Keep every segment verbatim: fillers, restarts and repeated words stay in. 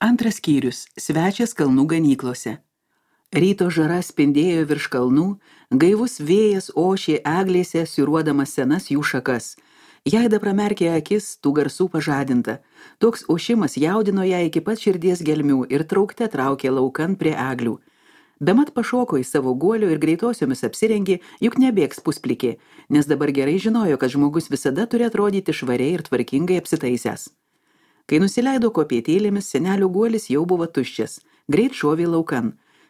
Antras skyrius – svečias kalnų ganyklose. Ryto žara spindėjo virš kalnų, gaivus vėjas ošė eglėse, siūruodamas senas jų šakas. Jaida pramerkė akis, tų garsų pažadinta. Toks ošimas jaudino ją iki pat širdies gelmių ir traukte traukė laukan prie eglių. Bemat pašoko į savo guolio ir greitosiomis apsirengė, juk nebėgs pusplikė, nes dabar gerai žinojo, kad žmogus visada turi atrodyti švariai ir tvarkingai apsitaisęs. Kai nusileido kopėtėlėmis, senelio guolis jau buvo tuščias, greit šovė laukan.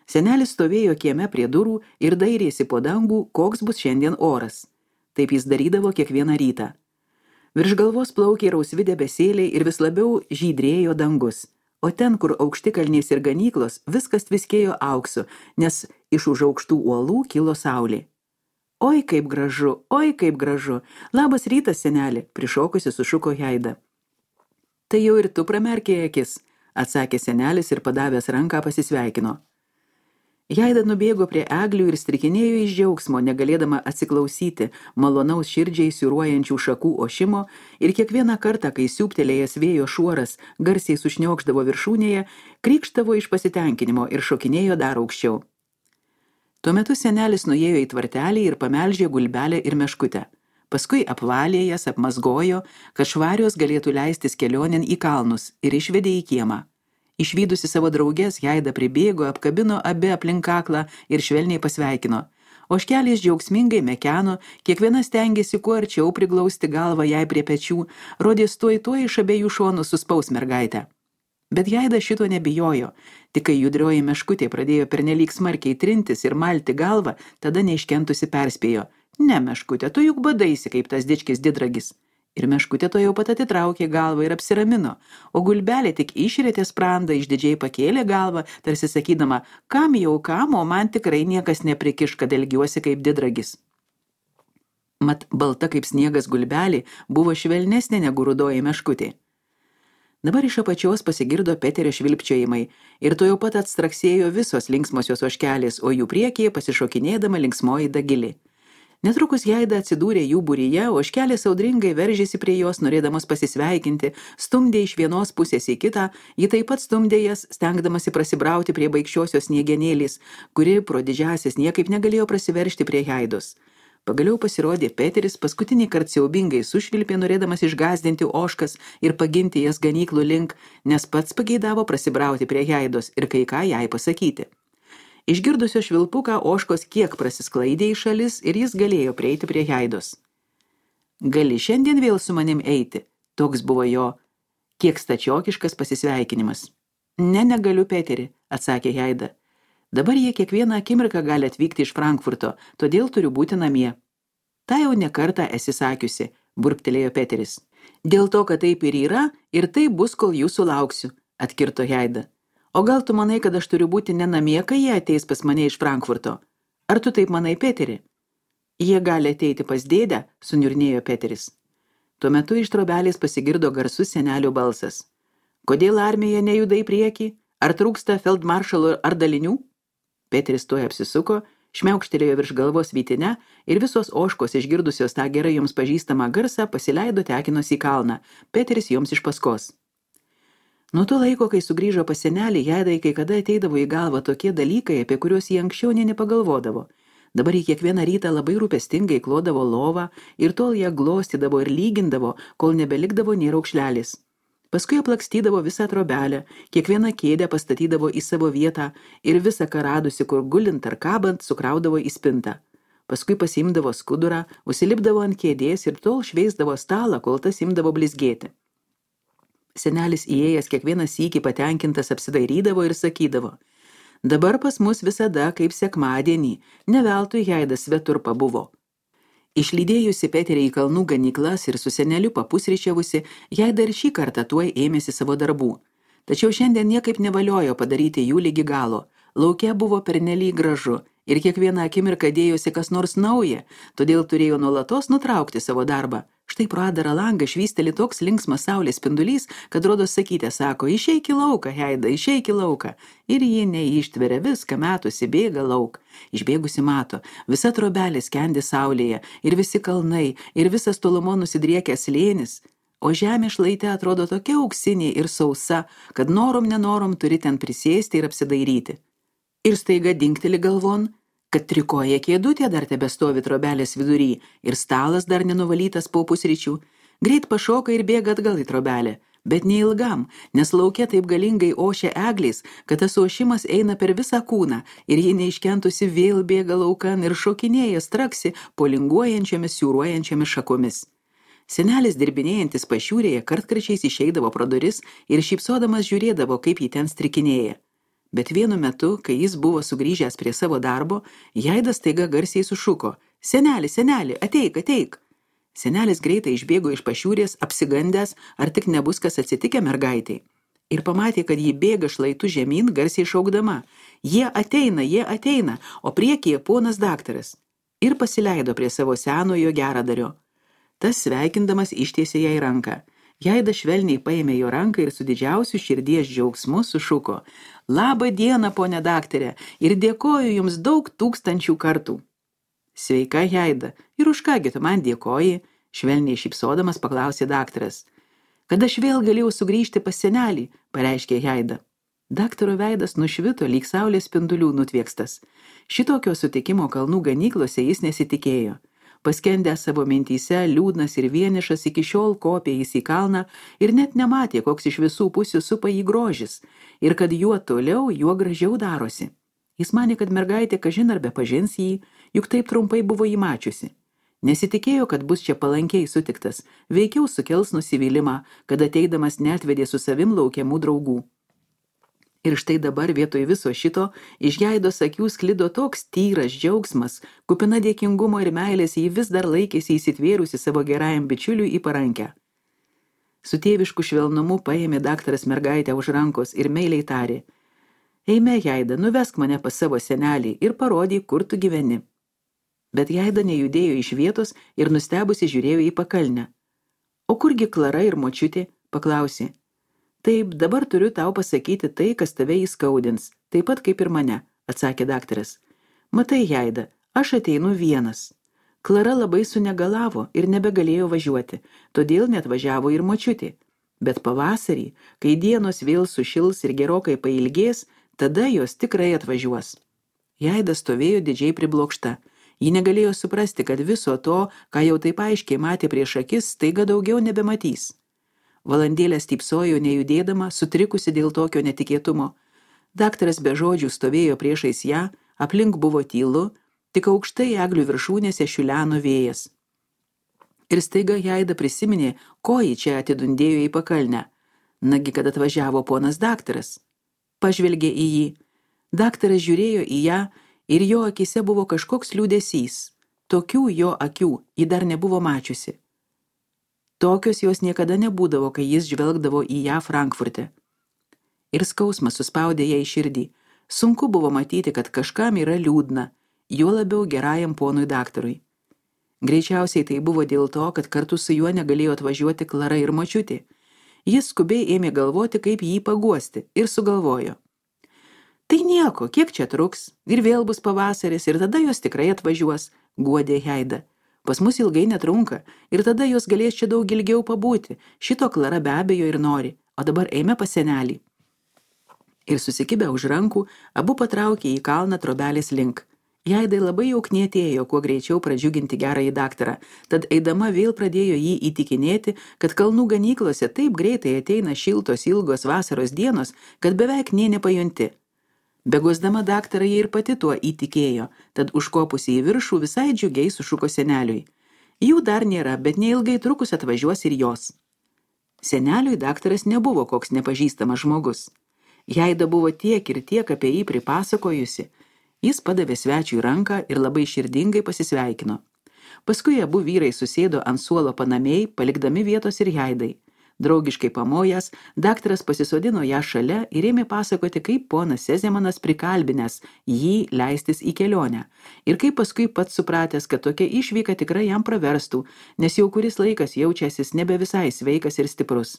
Senelis stovėjo kieme prie durų ir dairėsi po dangų, koks bus šiandien oras. Taip jis darydavo kiekvieną rytą. Virš galvos plaukė rausvi debesėliai ir vis labiau žydrėjo dangus. O ten, kur aukštikalnės ir ganyklos, viskas tviskėjo auksu, nes iš už aukštų uolų kilo saulė. Oi, kaip gražu, oi, kaip gražu. Labas rytas, senelė, prišokusi sušuko Jaida. Tai jau ir tu pramerkė akis, atsakė senelis ir padavęs ranką pasisveikino. Jaida nubėgo prie eglių ir strikinėjo iš džiaugsmo, negalėdama atsiklausyti malonaus širdžiai siūruojančių šakų ošimo ir kiekvieną kartą, kai siūptelėjęs vėjo šuoras garsiai sušniokšdavo viršūnėje, krykštavo iš pasitenkinimo ir šokinėjo dar aukščiau. Tuo metu senelis nuėjo į tvartelį ir pamelžė gulbelę ir meškutę. Paskui apvalė jas, apmazgojo, kad švarios galėtų leistis kelionėn į kalnus ir išvedė į kiemą. Išvydusi savo draugės, Jaida pribėgo, apkabino abi aplink kaklą ir švelniai pasveikino. Ožkelės džiaugsmingai mekeno, kiekviena stengėsi kuo arčiau priglausti galvą jai prie pečių, rodės tuoj tuoj iš abiejų šonų suspaus mergaitę. Bet Jaida šito nebijojo, tik kai judrioji meškutė pradėjo pernelyg smarkiai trintis ir malti galvą, tada neiškentusi perspėjo. Ne, meškutė, tu juk badaisi kaip tas dičkis didragis. Ir meškutė to jau pat atitraukė galvą ir apsiramino, o gulbelė tik išrėtė sprandą, išdidžiai pakėlė galvą, tarsi sakydama, kam jau kam, o man tikrai niekas neprikiš, kad elgiuosi kaip didragis. Mat balta kaip sniegas gulbelė buvo švelnesnė negu rudoji meškutė. Dabar iš apačios pasigirdo Peterio švilpčiojimai ir to jau pat atstraksėjo visos linksmosios ožkelės, o jų priekyje pasišokinėdama linksmoji Dagilė. Netrukus Jaida atsidūrė jų būryje, ožkelės audringai veržėsi prie jos, norėdamas pasisveikinti, stumdė iš vienos pusės į kitą, ji taip pat stumdė jas, stengdamasi prasibrauti prie baikščiosios sniegenėlės, kuri pro didžiąsias niekaip negalėjo prasiveržti prie Jaidos. Pagaliau pasirodė Peteris, paskutinį kartą siaubingai sušvilpė, norėdamas išgąsdinti ožkas ir paginti jas ganyklų link, nes pats pageidavo prasibrauti prie Jaidos ir kai ką jai pasakyti. Išgirdusio švilpuką ožkos kiek prasisklaidė į šalis ir jis galėjo prieiti prie Jaidos. Gali šiandien vėl su manim eiti, toks buvo jo kiek stačiokiškas pasisveikinimas. Ne, negaliu, Peteri, atsakė Jaida. Dabar jie kiekvieną akimirką gali atvykti iš Frankfurto, todėl turiu būti namie. Ta jau ne kartą esi sakiusi, burptelėjo Peteris. Dėl to, kad taip ir yra, ir taip bus, kol jūsų lauksiu, atkirto Jaida. O gal tu manai, kad aš turiu būti ne namie, kai jie ateis pas mane iš Frankfurto? Ar tu taip manai, Peteri? Jie gali ateiti pas dėdę, suniurnėjo Peteris. Tuo metu iš trobelės pasigirdo garsus senelio balsas. Kodėl armija nejuda į priekį? Ar trūksta feldmaršalo ar dalinių? Peteris tuoj apsisuko, šmiaukštelėjo virš galvos vytinę ir visos ožkos išgirdusios tą gerai joms pažįstamą garsą pasileido tekinos į kalną, Peteris joms iš paskos. Nuo to laiko, kai sugrįžo pas senelį, Jaidai kai kada ateidavo į galvą tokie dalykai, apie kuriuos jie anksčiau nė nepagalvodavo. Dabar jį kiekvieną rytą labai rūpestingai klodavo lovą ir tol ją glostydavo ir lygindavo, kol nebelikdavo nė raukšlelis. Paskui aplakstydavo visą trobelę, kiekvieną kėdę pastatydavo į savo vietą ir visą ką radusi, kur gulint ar kabant, sukraudavo į spintą. Paskui pasiimdavo skudurą, užsilipdavo ant kėdės ir tol šveisdavo stalą, kol tas imdavo blizgėti. Senelis įėjęs kiekvieną sykį patenkintas apsidairydavo ir sakydavo, dabar pas mus visada kaip sekmadienį, ne veltui Jaidas svetur pabuvo. Išlydėjusi Peterį į kalnų ganyklas ir su seneliu papusryčiavusi, Jaida ir šį kartą tuoj ėmėsi savo darbų. Tačiau šiandien niekaip nevaliojo padaryti jų lygi galo. Lauke buvo pernelyg gražu ir kiekvieną akimirką dėjosi kas nors nauja, todėl turėjo nuolatos nutraukti savo darbą. Štai pro adarą langą švysteli toks linksmas saulės spindulys, kad rodos sakytė, sako, išeik į lauką, Jaida, išeik į lauką. Ir ji neištveria viską, metusi, bėga lauk. Išbėgusi mato, visa trobelė skendi saulėje, ir visi kalnai, ir visas tolumo nusidriekęs slėnis. o žemė šlaite atrodo tokia auksinė ir sausa, kad norom nenorom turi ten prisėsti ir apsidairyti. Ir staiga dingteli galvon, kad trikoja kėdutė dar tebestovi trobelės vidury ir stalas dar nenuvalytas po pusryčių. Greit pašoka ir bėga atgal į trobelę, bet neilgam, nes lauke taip galingai ošia eglės, kad tas ošimas eina per visą kūną ir ji neiškentusi vėl bėga laukan ir šokinėja straksi po linguojančiomis, siūruojančiomis šakomis. Senelis dirbinėjantis pašiūrėje kartkarčiais išeidavo pro duris ir šypsodamas žiūrėdavo, kaip jį ten strikinėja. Bet vienu metu, kai jis buvo sugrįžęs prie savo darbo, Jaidas staiga garsiai sušuko: "Seneli, seneli, ateik, ateik!" Senelis greitai išbėgo iš pašiūrės, apsigandęs, ar tik nebus kas atsitikę mergaitei. Ir pamatė, kad jį bėga šlaitu žemyn, garsiai šaukdama: "Jie ateina, jie ateina, o priekyje ponas daktaras." Ir pasileido prie savo senojo geradario. Tas sveikindamas ištiesė jai ranką. Jaida švelniai paėmė jo ranką ir su didžiausiu širdies džiaugsmu sušuko: "Labą dieną, ponė daktarė, ir dėkoju jums daug tūkstančių kartų." "Sveika, Jaida, ir už kągi tu man dėkoji?" švelniai šypsodamas paklausė daktaras. "Kad aš vėl galėjau sugrįžti pas senelį," pareiškė Jaida. Daktaro veidas nušvito lyg saulės spindulių nutviekstas. Šitokio sutikimo kalnų ganyklose jis nesitikėjo. Paskendęs savo mintyse, liūdnas ir vienišas, iki šiol kopė jis į kalną ir net nematė, koks iš visų pusių supa jį grožis, ir kad juo toliau, juo gražiau darosi. Jis manė, kad mergaitė kažin ar bepažins jį, juk taip trumpai buvo jį mačiusi. Nesitikėjo, kad bus čia palankiai sutiktas, veikiau sukels nusivylimą, kad ateidamas neatvedė su savim laukiamų draugų. Ir štai dabar vietoj viso šito iš Jaidos akių sklido toks tyras džiaugsmas, kupina dėkingumo ir meilės, jį vis dar laikėsi įsitvėrusi savo gerajam bičiuliui į parankę. Su tėvišku švelnumu paėmė daktaras mergaitę už rankos ir meiliai tarė: "Eime, Jaida, nuvesk mane pas savo senelį ir parodyk, kur tu gyveni." Bet Jaida nejudėjo iš vietos ir nustebusi žiūrėjo į pakalnę. "O kurgi Klara ir močiutė?" paklausė. "Taip, dabar turiu tau pasakyti tai, kas tave įskaudins, taip pat kaip ir mane," atsakė daktaras. "Matai, Jaida, aš ateinu vienas. Klara labai sunegalavo ir nebegalėjo važiuoti, todėl net važiavo ir močiutė. Bet pavasarį, kai dienos vėl sušils ir gerokai pailgės, tada jos tikrai atvažiuos." Jaida stovėjo didžiai priblokšta. Ji negalėjo suprasti, kad viso to, ką jau taip aiškiai matė prieš akis, staiga daugiau nebematys. Valandėlę stypsojo nejudėdama, sutrikusi dėl tokio netikėtumo. Daktaras be žodžių stovėjo priešais ją, aplink buvo tylu, tik aukštai eglių viršūnėse šiuleno vėjas. Ir staiga Jaida prisiminė, ko ji čia atidundėjo į pakalnę. Nagi, kad atvažiavo ponas daktaras. Pažvelgė į jį. Daktaras žiūrėjo į ją ir jo akise buvo kažkoks liūdesys. Tokių jo akių ji dar nebuvo mačiusi. Tokios jos niekada nebūdavo, kai jis žvelgdavo į ją Frankfurte. Ir skausmas suspaudė ją į širdį. Sunku buvo matyti, kad kažkam yra liūdna, juo labiau gerajam ponui daktarui. Greičiausiai tai buvo dėl to, kad kartu su juo negalėjo atvažiuoti Klara ir močiutė. Jis skubiai ėmė galvoti, kaip jį paguosti, ir sugalvojo: "Tai nieko, kiek čia truks, ir vėl bus pavasaris, ir tada jos tikrai atvažiuos," guodė Jaida. "Pas mus ilgai netrunka, ir tada jos galės čia daug ilgiau pabūti, šito Klara be abejo ir nori, o dabar eime pas senelį." Ir susikibę už rankų, abu patraukė į kalną trobelės link. Jaidai labai jau knietėjo, kuo greičiau pradžiuginti gerąjį daktarą, tad eidama vėl pradėjo jį įtikinėti, kad kalnų ganyklose taip greitai ateina šiltos ilgos vasaros dienos, kad beveik nė nepajunti. Begosdama daktarą jie ir pati tuo įtikėjo, tad užkopusi į viršų visai džiugiai sušuko seneliui: "Jų dar nėra, bet neilgai trukus atvažiuos ir jos." Seneliui daktaras nebuvo koks nepažįstamas žmogus. Jaida buvo tiek ir tiek apie jį pripasakojusi. Jis padavė svečiui ranką ir labai širdingai pasisveikino. Paskui abu vyrai susėdo ant suolo panamiai, palikdami vietos ir Jaidai. Draugiškai pamojęs, daktaras pasisodino ją šalia ir ėmė pasakoti, kaip ponas Sezemanas prikalbinęs jį leistis į kelionę. Ir kaip paskui pats supratęs, kad tokia išvyka tikrai jam praverstų, nes jau kuris laikas jaučiasis nebe visai sveikas ir stiprus.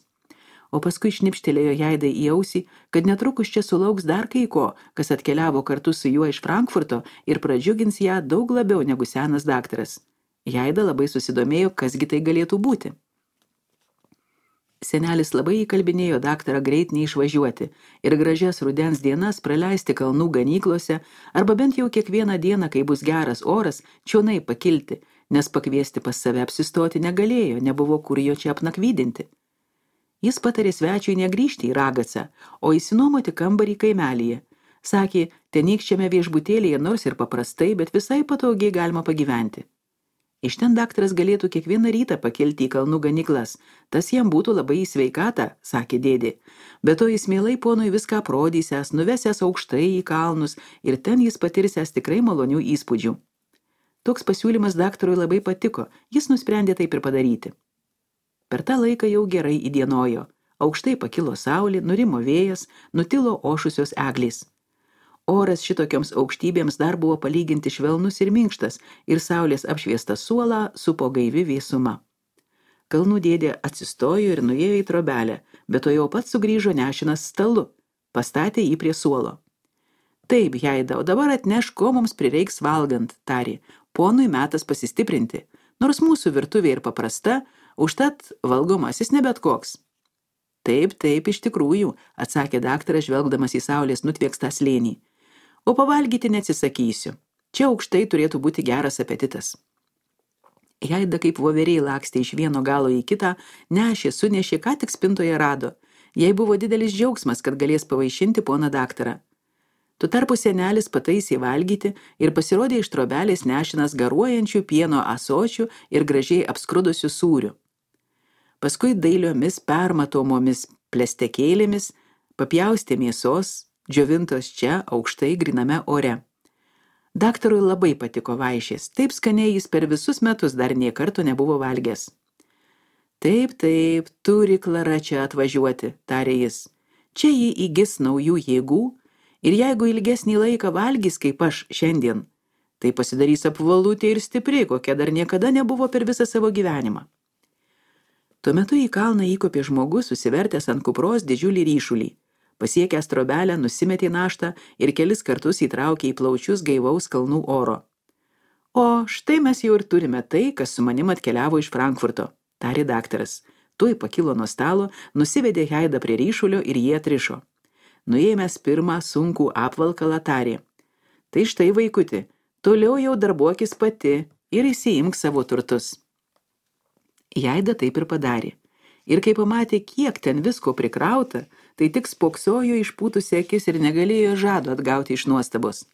O paskui šnipštelėjo Jaidai į ausį, kad netrukus čia sulauks dar kai ko, kas atkeliavo kartu su juo iš Frankfurto ir pradžiugins ją daug labiau negu senas daktaras. Jaida labai susidomėjo, kasgi tai galėtų būti. Senelis labai įkalbinėjo daktarą greit neišvažiuoti ir gražias rudens dienas praleisti kalnų ganyklose arba bent jau kiekvieną dieną, kai bus geras oras, čionai pakilti, nes pakviesti pas save apsistoti negalėjo, nebuvo kur jo čia apnakvydinti. Jis patarė svečiui negrįžti į Ragacą, o įsinuomoti kambarį kaimelyje. Sakė, tenykščiame viešbutėlėje nors ir paprastai, bet visai patogiai galima pagyventi. Iš ten daktaras galėtų kiekvieną rytą pakelti į kalnų ganyklas. Tas jam būtų labai į sveikatą, sakė dėdė. Be to jis mielai ponui viską aprodysęs, nuvesęs aukštai į kalnus ir ten jis patirsęs tikrai malonių įspūdžių. Toks pasiūlymas daktarui labai patiko, jis nusprendė taip ir padaryti. Per tą laiką jau gerai įdienojo. Aukštai pakilo saulė, nurimo vėjas, nutilo ošusios eglės. Oras šitokioms aukštybėms dar buvo palyginti švelnus ir minkštas ir saulės apšviestą suolą supo gaivi vėsuma. Kalnų dėdė atsistojo ir nuėjo į trobelę, bet to jau pats sugrįžo nešinas stalu, pastatė jį prie suolo. Taip, Jaida, o dabar atneš, ko mums prireiks valgant, tarė. Ponui metas pasistiprinti, nors mūsų virtuvė ir paprasta, užtat valgomasis ne bet koks. Taip, taip, iš tikrųjų, atsakė daktaras, žvelgdamas į saulės nutviekstą slėnį. O pavalgyti neatsisakysiu. Čia aukštai turėtų būti geras apetitas. Jaida kaip voveriai lakstė iš vieno galo į kitą, nešė, sunešė, ką tik spintoje rado. Jai buvo didelis džiaugsmas, kad galės pavaišinti poną daktarą. Tuo tarpu senelis pataisė valgyti ir pasirodė iš trobelės nešinas garuojančių pieno ąsočių ir gražiai apskrudusių sūrių. Paskui dailiomis permatomomis plestekėlėmis papjaustė mėsos, džiovintos čia aukštai griname ore. Daktarui labai patiko vaišės, taip skaniai jis per visus metus dar nė karto nebuvo valgęs. Taip, taip, turi Klara čia atvažiuoti, tarė jis. Čia jį įgis naujų jėgų ir jeigu ilgesnį laiką valgys kaip aš šiandien, tai pasidarys apvalutė ir stipri, kokia dar niekada nebuvo per visą savo gyvenimą. Tuo metu į kalną įkopė žmogus, susivertęs ant kupros didžiulį ryšulį. Pasiekęs trobelę, nusimetė naštą ir kelis kartus įtraukė į plaučius gaivaus kalnų oro. O štai mes jau ir turime tai, kas su manim atkeliavo iš Frankfurto, tarė daktaras. Tuoj pakilo nuo stalo, nusivedė Jaidą prie ryšulio ir jie atrišo. Nuėmęs pirmą sunkų apvalkalą tarė. Tai štai, vaikuti, toliau jau darbuokis pati ir įsiimk savo turtus. Jaida taip ir padarė. Ir kai pamatė, kiek ten visko prikrauta, tai tik spoksojo išpūtusi akis ir negalėjo žado atgauti iš nuostabos.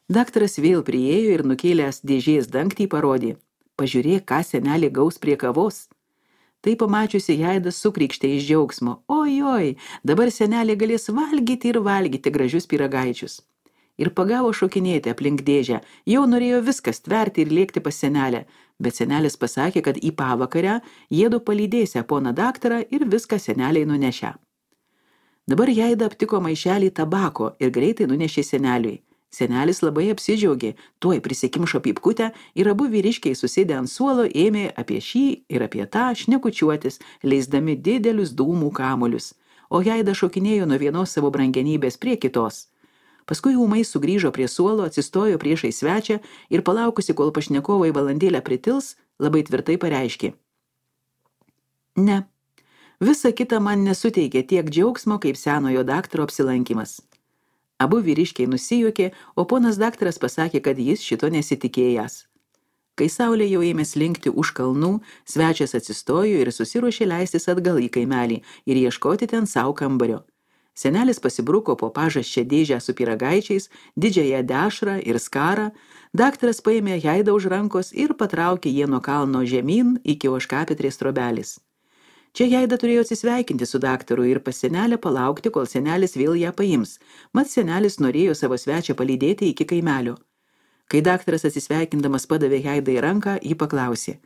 Daktaras vėl priėjo ir nukėlęs dėžės dangtį parodė. Pažiūrėk, ką senelė gaus prie kavos. Tai pamačiusi Jaida sukrykštė iš džiaugsmo. Oi, oi, dabar senelė galės valgyti ir valgyti gražius pyragaičius. Ir pagavo šokinėti aplink dėžę. Jau norėjo viskas tverti ir lėkti pas senelę, bet senelis pasakė, kad į pavakarę jiedu palydėsią poną daktarą ir viską seneliai nunešę. Dabar Jaida aptiko maišelį tabako ir greitai nunešė seneliui. Senelis labai apsidžiaugė, tuoj prisikimšo pypkutę ir abu vyriškiai susėdę ant suolo ėmė apie šį ir apie tą šnekučiuotis, leisdami didelius dūmų kamuolius, o Jaida šokinėjo nuo vienos savo brangenybės prie kitos. Paskui ūmai sugrįžo prie suolo, atsistojo priešai svečią ir palaukusi, kol pašnekovai valandėlę pritils, labai tvirtai pareiškė. Ne, visa kita man nesuteikė tiek džiaugsmo, kaip senojo daktaro apsilankimas. Abu vyriškiai nusijuokė, o ponas daktaras pasakė, kad jis šito nesitikėjęs. Kai saulė jau ėmė slinkti už kalnų, svečias atsistojo ir susiruošė leistis atgal į kaimelį ir ieškoti ten savo kambario. Senelis pasibruko po pažasčią dėžę su pyragaičiais, didžiąją dešrą ir skarą, daktaras paėmė Jaidą už rankos ir patraukė jie nuo kalno žemyn iki ožkapitrės trobelis. Čia Jaida turėjo atsisveikinti su daktaru ir pas senelę palaukti, kol senelis vėl ją paims, mat senelis norėjo savo svečią palydėti iki kaimelio. Kai daktaras atsisveikindamas padavė Jaidai ranką, ji paklausė.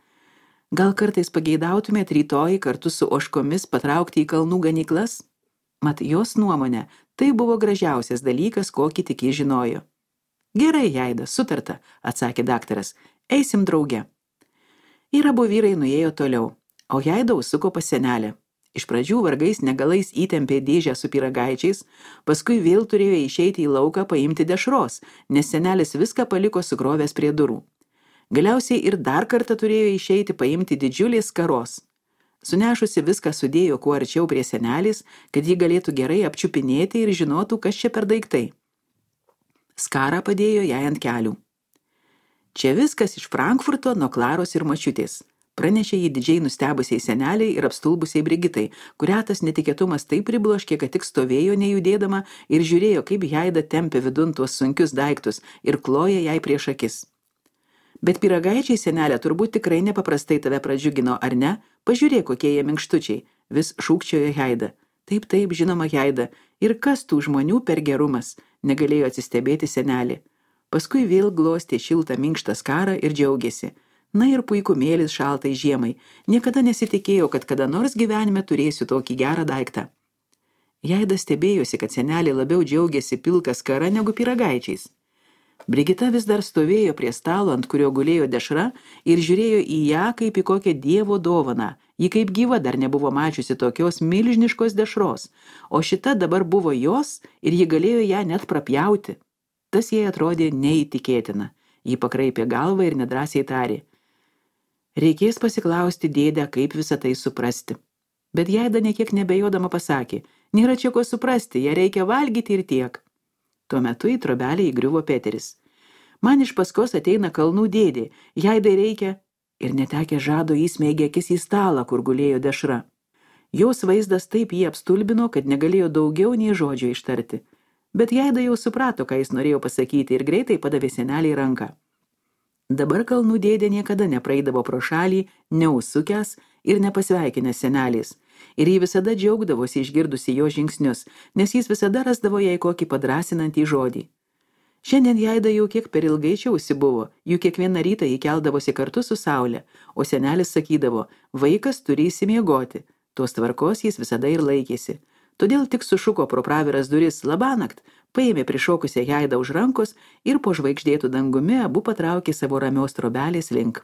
Gal kartais pageidautumėt rytoj kartu su ožkomis patraukti į kalnų ganyklas? Mat jos nuomonė, tai buvo gražiausias dalykas, kokį tik jis žinojo. Gerai, Jaida, sutarta, atsakė daktaras, eisim drauge. Ir abu vyrai nuėjo toliau, o Jaida užsuko pas senelę. Iš pradžių vargais negalais įtempė dėžę su pyragaičiais, paskui vėl turėjo išeiti į lauką paimti dešros, nes senelis viską paliko sukrovęs prie durų. Galiausiai ir dar kartą turėjo išeiti paimti didžiulės skaros. Sunešusi viską sudėjo kuo arčiau prie senelės, kad ji galėtų gerai apčiupinėti ir žinotų, kas čia per daiktai. Skarą padėjo jai ant kelių. Čia viskas iš Frankfurto nuo Klaros ir močiutės, pranešė jį didžiai nustebusiai seneliai ir apstulbusiai Brigitai, kurią tas netikėtumas taip pribloškė, kad tik stovėjo nejudėdama ir žiūrėjo, kaip Haida tempė vidun tuos sunkius daiktus ir kloja jai prieš akis. Bet pyragaičiai, senelė, turbūt tikrai nepaprastai tave pradžiugino, ar ne? Pažiūrėk, kokie jie minkštučiai, vis šūkčiojo Haida. Taip, taip, žinoma, Haida. Ir kas tų žmonių per gerumas, negalėjo atsistebėti senelė. Paskui vėl glostė šiltą minkštą skarą ir džiaugėsi. Na ir puikumėlis šaltai žiemai. Niekada nesitikėjau, kad kada nors gyvenime turėsiu tokį gerą daiktą. Haida stebėjosi, kad senelė labiau džiaugiasi pilka skara negu pyragaičiais. Brigita vis dar stovėjo prie stalo, ant kurio gulėjo dešra, ir žiūrėjo į ją kaip į kokią dievo dovaną. Ji kaip gyva dar nebuvo mačiusi tokios milžiniškos dešros, o šita dabar buvo jos ir ji galėjo ją net prapjauti. Tas jai atrodė neįtikėtina. Ji pakraipė galvą ir nedrąsiai tarė. Reikės pasiklausti dėdę, kaip visą tai suprasti. Bet Haida niekiek nebejodama pasakė, nėra čia ko suprasti, ją reikia valgyti ir tiek. Tuo metu į trobelę įgriuvo Peteris. Man iš paskos ateina kalnų dėdė, Haidai reikia, ir netekę žado įsmeigė akis į stalą, kur gulėjo dešra. Jos vaizdas taip jį apstulbino, kad negalėjo daugiau nei žodžio ištarti. Bet Haida jau suprato, ką jis norėjo pasakyti ir greitai padavė seneliai ranką. Dabar kalnų dėdė niekada nepraeidavo pro šalį, neužsukęs ir nepasveikinęs senelės. Ir jį visada džiaugdavosi išgirdusi jo žingsnius, nes jis visada rasdavo jai kokį padrasinantį žodį. Šiandien Haida jau kiek per ilgai čia užsibuvo, juk kiekvieną rytą jį keldavosi kartu su saule, o senelis sakydavo, vaikas turi įsimiegoti, tos tvarkos jis visada ir laikėsi. Todėl tik sušuko pro praviras duris labanakt, paėmė prišokusią Haidą už rankos ir po žvaigždėtų dangumi abu patraukė savo ramios trobelės link.